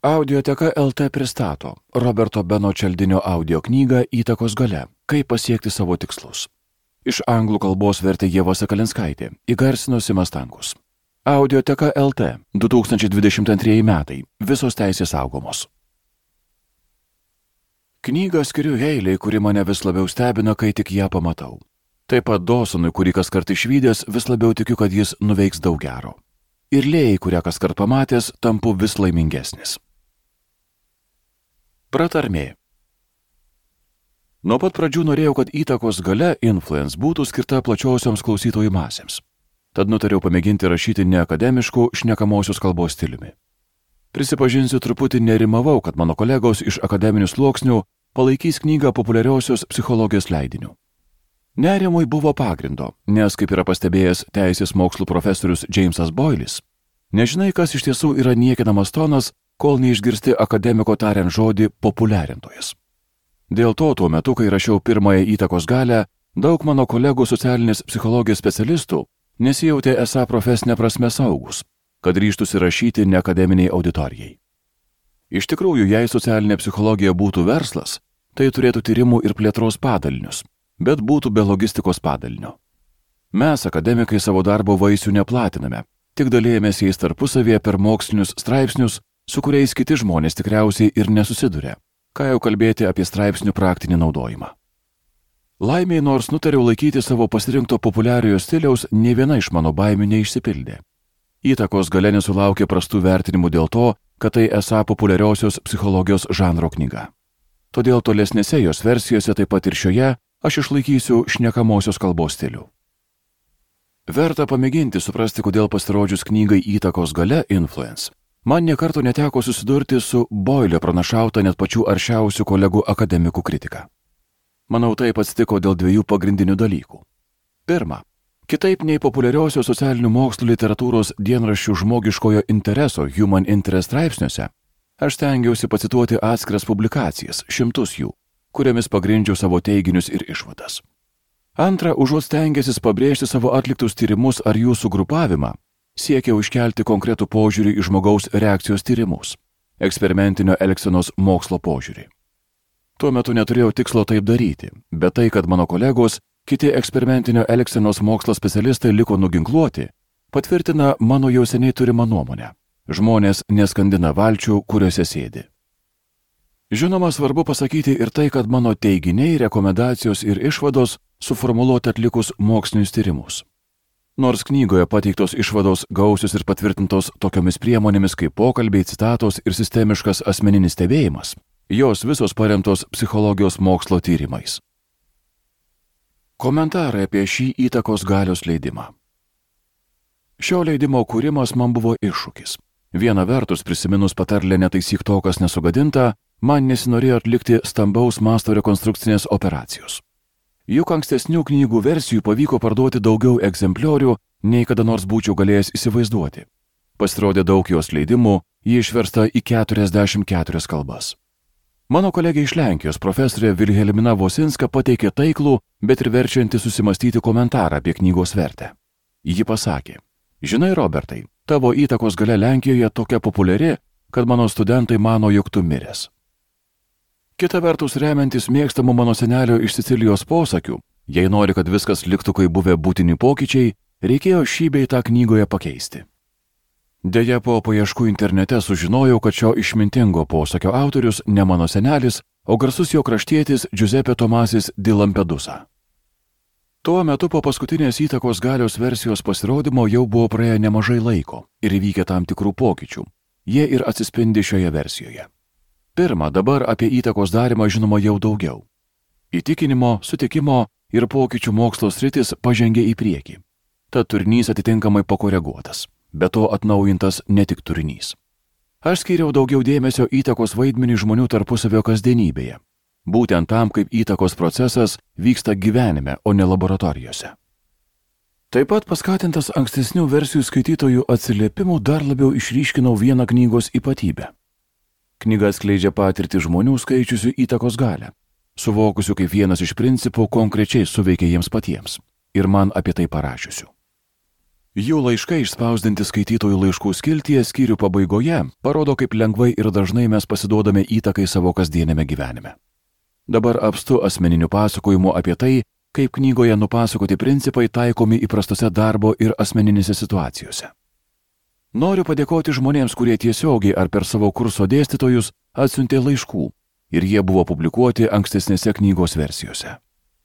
Audioteka LT pristato Roberto Beno Čeldinio audio knygą Įtakos galia – kaip pasiekti savo tikslus. Iš anglų kalbos vertė Ieva Sakalinskaitė, įgarsino Simas Stankus. Audioteka LT 2022 metai, visos teisės saugomos. Knygą skiriu Heilei, kuri mane vis labiau stebina, kai tik ją pamatau. Taip pat Dawsonui, kurį kaskart išvydęs, vis labiau tikiu, kad jis nuveiks daug gero. Ir Lėjai, kurią kaskart pamatęs, tampu vis laimingesnis. Pratarmė. Nuo pat pradžių norėjau, kad įtakos galia influence būtų skirta plačiosioms klausytojų masėms. Tad nutariau pamėginti rašyti neakademiškų šnekamosios kalbos stiliumi. Prisipažinsiu, truputį nerimavau, kad mano kolegos iš akademinių sluoksnių palaikys knygą populiariosios psichologijos leidiniu. Nerimui buvo pagrindo, nes, kaip yra pastebėjęs teisės mokslų profesorius Jamesas Boylis, nežinai, kas iš tiesų yra niekinamas tonas, kol neišgirsti akademiko tariant žodį populiarintojas. Dėl to tuo metu, kai rašiau pirmąją įtakos galią, daug mano kolegų socialinės psichologijos specialistų nesijautė esą profesinė prasme saugus, kad ryžtųsi rašyti neakademiniai auditorijai. Iš tikrųjų, jei socialinė psichologija būtų verslas, tai turėtų tyrimų ir plėtros padalinius, bet būtų be logistikos padalinio. Mes, akademikai, savo darbo vaisių neplatiname, tik dalėjomės jais tarpusavėje per mokslinius straipsnius, su kuriais kiti žmonės tikriausiai ir nesusiduria, ką jau kalbėti apie straipsnių praktinį naudojimą. Laimiai, nors nutariau laikyti savo pasirinkto populiariojo stiliaus, nė viena iš mano baimių neišsipildė. Įtakos galia nesulaukė prastų vertinimų dėl to, kad tai esą populiariosios psichologijos žanro knyga. Todėl tolesnėse jos versijose, taip pat ir šioje, aš išlaikysiu šnekamosios kalbos stilių. Verta pamėginti suprasti, kodėl pasirodžius knygai Įtakos galia influence, man nė karto neteko susidurti su Boilio pranašauta net pačių aršiausių kolegų akademikų kritika. Manau, taip atsitiko dėl dviejų pagrindinių dalykų. Pirma, kitaip nei populiariosios socialinių mokslų literatūros dienraščių žmogiškojo intereso Human Interest straipsniuose, aš stengiausi pacituoti atskiras publikacijas, šimtus jų, kuriamis pagrindžiau savo teiginius ir išvadas. Antra, užuot stengęsis pabrėžti savo atliktus tyrimus ar jų sugrupavimą, siekiau iškelti konkretų požiūrį į žmogaus reakcijos tyrimus, eksperimentinio elgsenos mokslo požiūrį. Tuo metu neturėjau tikslo taip daryti, bet tai, kad mano kolegos, kiti eksperimentinio elgsenos mokslo specialistai liko nuginkluoti, patvirtina mano jau seniai turimą nuomonę. Žmonės neskandina valčių, kuriuose sėdi. Žinoma, svarbu pasakyti ir tai, kad mano teiginiai, rekomendacijos ir išvados suformuluoti atlikus mokslinius tyrimus. Nors knygoje pateiktos išvados gausios ir patvirtintos tokiomis priemonėmis kaip pokalbiai, citatos ir sistemiškas asmeninis stebėjimas, jos visos paremtos psichologijos mokslo tyrimais. Komentarai apie šį įtakos galios leidimą. Šio leidimo kūrimas man buvo iššūkis. Viena vertus, prisiminus patarlę netaisyk to, kas nesugadinta, man nesinorėjo atlikti stambaus masto rekonstrukcinės operacijos. Juk ankstesnių knygų versijų pavyko parduoti daugiau egzempliorių, nei kada nors būčiau galėjęs įsivaizduoti. Pasirodė daug jos leidimų, ji išversta į 44 kalbas. Mano kolegė iš Lenkijos, profesorė Vilhelmina Vosinska, pateikė taiklų, bet ir verčiantį susimastyti komentarą apie knygos vertę. Ji pasakė: žinai, Robertai, tavo įtakos galia Lenkijoje tokia populiari, kad mano studentai mano, jog tu miręs. Kita vertus, remiantis mėgstamų mano senelio iš Sicilijos posakių, jei nori, kad viskas liktų kaip buvę būtini pokyčiai, reikėjo šį bei tą knygoje pakeisti. Deja, po paieškų internete sužinojau, kad šio išmintingo posakio autorius ne mano senelis, o garsus jo kraštietis Giuseppe Tomasis di Lampedusa. Tuo metu po paskutinės įtakos galios versijos pasirodymo jau buvo praėję nemažai laiko ir įvykę tam tikrų pokyčių. Jie ir atsispindi šioje versijoje. Pirma, dabar apie įtakos darymą žinoma jau daugiau. Įtikinimo, sutikimo ir pokyčių mokslo sritis pažengė į priekį. Tad turinys atitinkamai pakoreguotas, be to atnaujintas ne tik turinys. Aš skyriau daugiau dėmesio įtakos vaidmenį žmonių tarpusavio kasdienybėje, būtent tam, kaip įtakos procesas vyksta gyvenime, o ne laboratorijose. Taip pat paskatintas ankstesnių versijų skaitytojų atsiliepimų dar labiau išryškinau vieną knygos ypatybę. Knyga atskleidžia patirtį žmonių skaičiusių įtakos galią, suvokusių kaip vienas iš principų konkrečiai suveikia jiems patiems ir man apie tai parašiusių. Jų laiškai išspausdinti skaitytojų laiškų skiltyje skyrių pabaigoje parodo, kaip lengvai ir dažnai mes pasiduodame įtakai savo kasdienėme gyvenime. Dabar apstu asmeninių pasakojimų apie tai, kaip knygoje nupasakoti principai taikomi įprastose darbo ir asmeninėse situacijose. Noriu padėkoti žmonėms, kurie tiesiogiai ar per savo kurso dėstytojus atsiuntė laiškų ir jie buvo publikuoti ankstesnėse knygos versijose.